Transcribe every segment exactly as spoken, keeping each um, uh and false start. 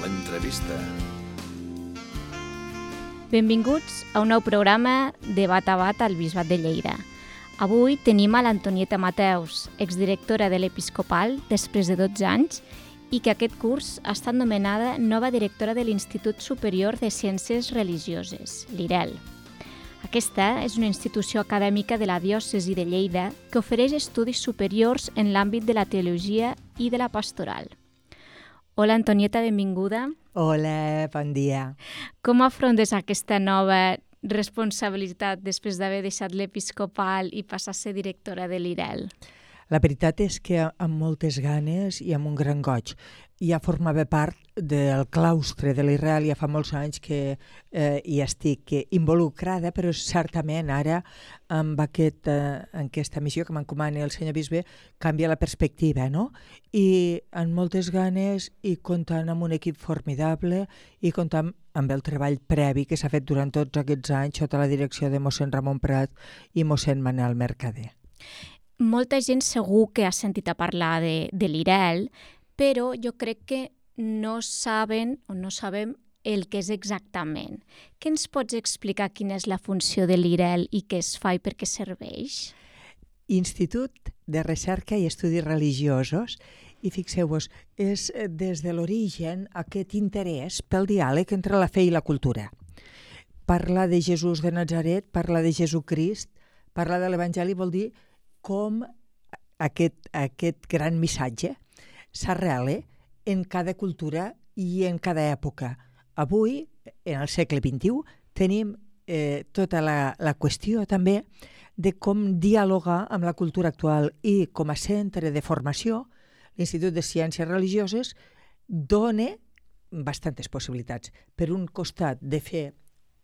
l'entrevista. Benvinguts a un nou programa de Bat a Bat al Bisbat de Lleida. Avui tenim a l'Antonieta Mateus, exdirectora de l'Episcopal després de dotze anys, i que aquest curs ha estat nomenada nova directora de l'Institut Superior de Ciències Religioses, l'I R E L. Aquesta és una institució acadèmica de la diòcesi de Lleida que ofereix estudis superiors en l'àmbit de la teologia i de la pastoral. Hola, Antonieta, benvinguda. Hola, bon dia. Com afrontes aquesta nova responsabilitat després d'haver deixat l'Episcopal i passar a ser directora de l'I R E L? La veritat és que amb moltes ganes i amb un gran goig. Ja formava part del claustre de l'I R E L, ja fa molts anys que eh, hi estic involucrada, però certament ara amb aquest, eh, aquesta missió que m'encomana el senyor bisbe canvia la perspectiva, no? I amb moltes ganes i comptant amb un equip formidable i comptant amb el treball previ que s'ha fet durant tots aquests anys sota la direcció de mossèn Ramon Prat i mossèn Manel Mercader. Molta gent segur que ha sentit a parlar de, de l'I R E L, però jo crec que no saben o no sabem el que és exactament. Què ens pots explicar quina és la funció de l'I R E L i què es fa i per què serveix? Institut de Recerca i Estudis Religiosos, i fixeu-vos, és des de l'origen aquest interès pel diàleg entre la fe i la cultura. Parlar de Jesús de Nazaret, parlar de Jesucrist, parlar de l'Evangeli vol dir com aquest, aquest gran missatge s'arrela en cada cultura i en cada època. Avui, en el segle vint-i-u, tenim eh, tota la, la qüestió també de com dialogar amb la cultura actual i com a centre de formació, l'Institut de Ciències Religioses dona bastantes possibilitats. Per un costat de fer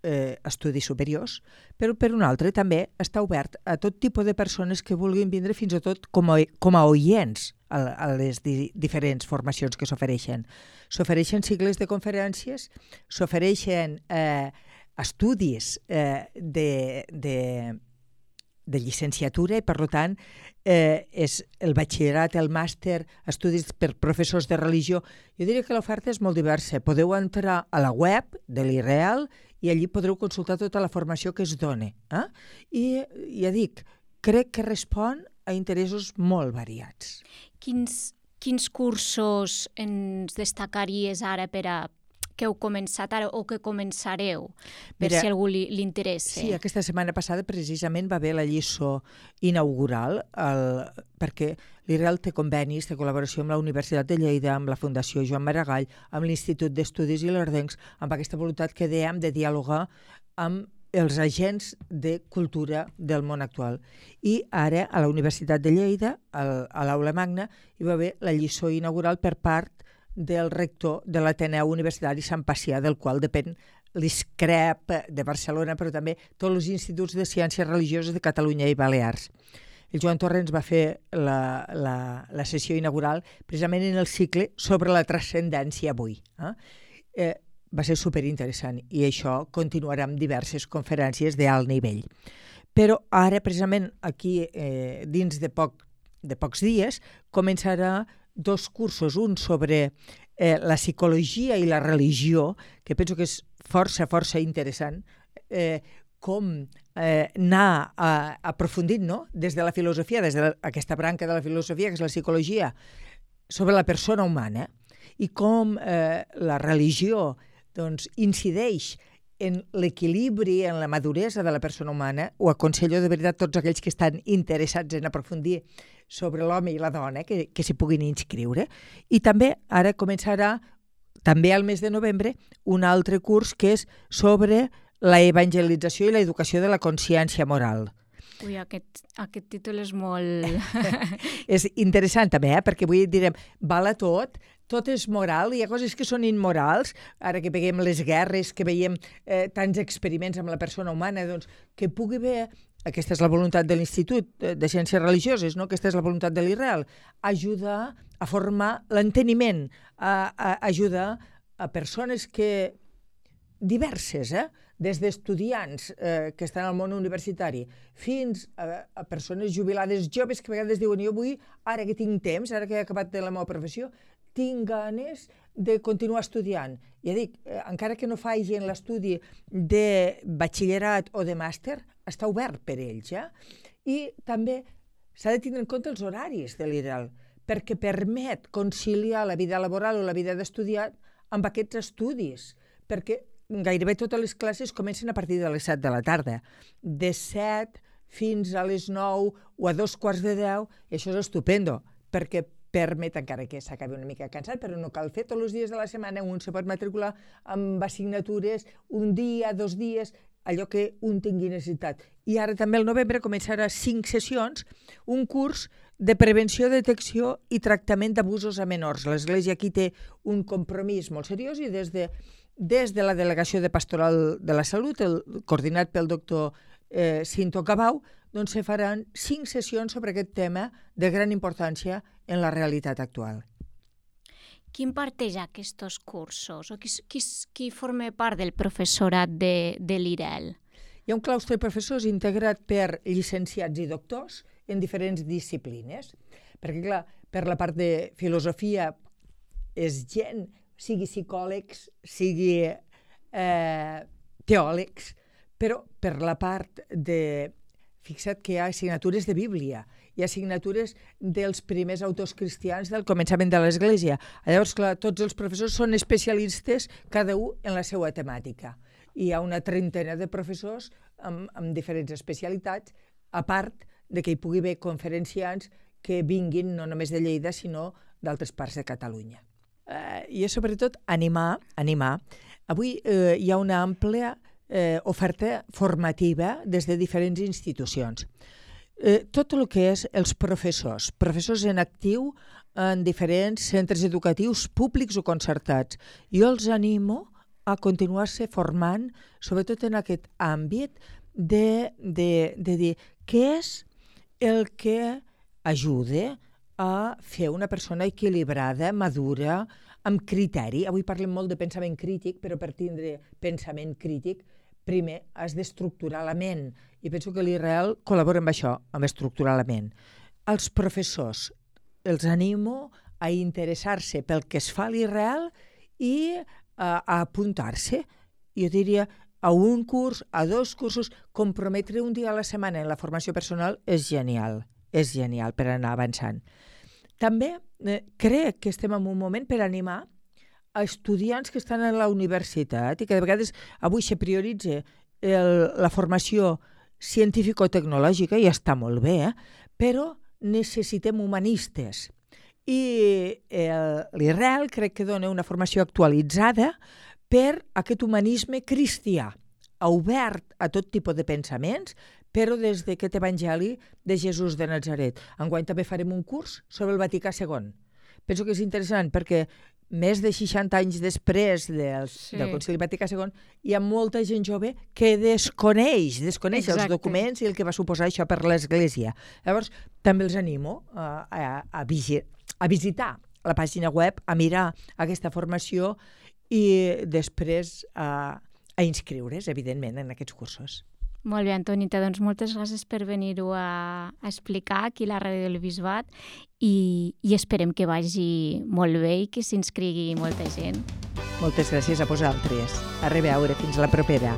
Eh, estudis superiors, però per un altre també està obert a tot tipus de persones que vulguin vindre fins i tot com a, com a oients a, a les di, diferents formacions que s'ofereixen. S'ofereixen cicles de conferències, s'ofereixen eh, estudis eh, de, de, de llicenciatura i, per tant, eh, és el batxillerat, el màster, estudis per professors de religió. Jo diria que l'oferta és molt diversa. Podeu entrar a la web de l'I R E L i allí podreu consultar tota la formació que es dona. Eh? I ja dic, crec que respon a interessos molt variats. Quins, quins cursos ens destacaries ara per a que heu començat ara o que començareu, per Mira, si algú li, li interessa? Sí, aquesta setmana passada precisament va haver la lliçó inaugural, el, perquè l'I R E L té convenis de col·laboració amb la Universitat de Lleida, amb la Fundació Joan Maragall, amb l'Institut d'Estudis Ilerdencs, amb aquesta voluntat que dèiem de dialogar amb els agents de cultura del món actual. I ara, a la Universitat de Lleida, al, a l'Aula Magna, hi va haver la lliçó inaugural per part del rector de l'Ateneu Universitari Sant Pacià, del qual depèn l'I S C R E P de Barcelona, però també tots els instituts de ciències religioses de Catalunya i Balears. El Joan Torrents va fer la, la, la sessió inaugural precisament en el cicle sobre la transcendència avui. Eh? Eh, va ser superinteressant i això continuarà amb diverses conferències d'alt nivell. Però ara, precisament aquí, eh, dins de, poc, de pocs dies, començarà dos cursos, un sobre eh, la psicologia i la religió, que penso que és força, força interessant, eh, com eh, anar a, aprofundint, no? Des de la filosofia, des d'aquesta branca de la filosofia, que és la psicologia, sobre la persona humana, i com eh, la religió doncs, incideix en l'equilibri, en la maduresa de la persona humana. Ho aconsello de veritat tots aquells que estan interessats en aprofundir sobre l'home i la dona, que, que s'hi puguin inscriure. I també ara començarà, també al mes de novembre, un altre curs que és sobre la evangelització i l'educació de la consciència moral. Ui, aquest, aquest títol és molt... És interessant també, eh? Perquè avui direm, val a tot, tot és moral, hi ha coses que són immorals, ara que veiem les guerres, que veiem eh, tants experiments amb la persona humana, doncs que pugui haver, aquesta és la voluntat de l'Institut de Ciències Religioses, no? Aquesta és la voluntat de l'I R E L, ajudar a formar l'enteniment, a, a ajudar a persones que diverses, eh? Des d'estudiants eh, que estan al món universitari fins a, a persones jubilades joves que a vegades diuen jo vull, ara que tinc temps, ara que he acabat de la meva professió, tinc ganes de continuar estudiant. Ja dic, encara que no facin l'estudi de batxillerat o de màster, està obert per ells. Eh? I també s'ha de tenir en compte els horaris de l'I R E L, perquè permet conciliar la vida laboral o la vida d'estudiant amb aquests estudis, perquè gairebé totes les classes comencen a partir de les set de la tarda. De set fins a les nou o a dos quarts de deu, i això és estupendo, perquè permet, encara que s'acabi una mica cansat, però no cal fer tots els dies de la setmana, un se pot matricular amb assignatures un dia, dos dies, allò que un tingui necessitat. I ara també al novembre començarà cinc sessions, un curs de prevenció, detecció i tractament d'abusos a menors. L'Església aquí té un compromís molt seriós i des de, des de la Delegació de Pastoral de la Salut, el, coordinat pel doctor eh, Cinto Cabau, doncs se faran cinc sessions sobre aquest tema de gran importància en la realitat actual. Qui imparteix aquests cursos? O qui, qui, qui forma part del professorat de, de l'I R E L? Hi ha un claustre de professors integrat per llicenciats i doctors en diferents disciplines. Perquè, clar, per la part de filosofia és gent, sigui psicòlegs, sigui eh, teòlegs, però per la part de... Fixa't que hi ha assignatures de Bíblia, hi ha assignatures dels primers autors cristians del començament de l'Església. Llavors, clar, tots els professors són especialistes, cada un en la seva temàtica. Hi ha una trentena de professors amb, amb diferents especialitats, a part de que hi pugui haver conferenciants que vinguin no només de Lleida, sinó d'altres parts de Catalunya. Eh, I és sobretot animar, animar. Avui eh, hi ha una àmplia Eh, oferta formativa des de diferents institucions. Eh, tot el que és els professors, professors en actiu en diferents centres educatius públics o concertats. Jo els animo a continuar-se formant, sobretot en aquest àmbit de, de, de dir què és el que ajuda a fer una persona equilibrada, madura, amb criteri. Avui parlem molt de pensament crític, però per tindre pensament crític primer has d'estructurar la ment, i penso que l'I R E L col·labora amb això, amb estructurar la ment. Els professors els animo a interessar-se pel que es fa a l'I R E L i a, a apuntar-se. Jo diria a un curs, a dos cursos, comprometre un dia a la setmana en la formació personal és genial, és genial per anar avançant. També eh, crec que estem en un moment per animar a estudiants que estan a la universitat i que de vegades avui se prioritza el, la formació científico-tecnològica, i està molt bé, eh? Però necessitem humanistes. I l'I R E L crec que dona una formació actualitzada per aquest humanisme cristià, obert a tot tipus de pensaments, però des d'aquest evangeli de Jesús de Nazaret. Enguany també farem un curs sobre el Vaticà segon. Penso que és interessant perquè més de seixanta anys després del, sí. del Concili Vaticà segon, hi ha molta gent jove que desconeix, desconeix Exacte. els documents i el que va suposar això per l'Església. Llavors, també els animo a, a, a, visi, a visitar la pàgina web, a mirar aquesta formació i després a, a inscriure's, evidentment, en aquests cursos. Molt bé, Antonita, doncs moltes gràcies per venir-ho a, a explicar aquí a la Ràdio del Bisbat i, i esperem que vagi molt bé i que s'inscrigui molta gent. Moltes gràcies a vosaltres. A reveure, fins la propera.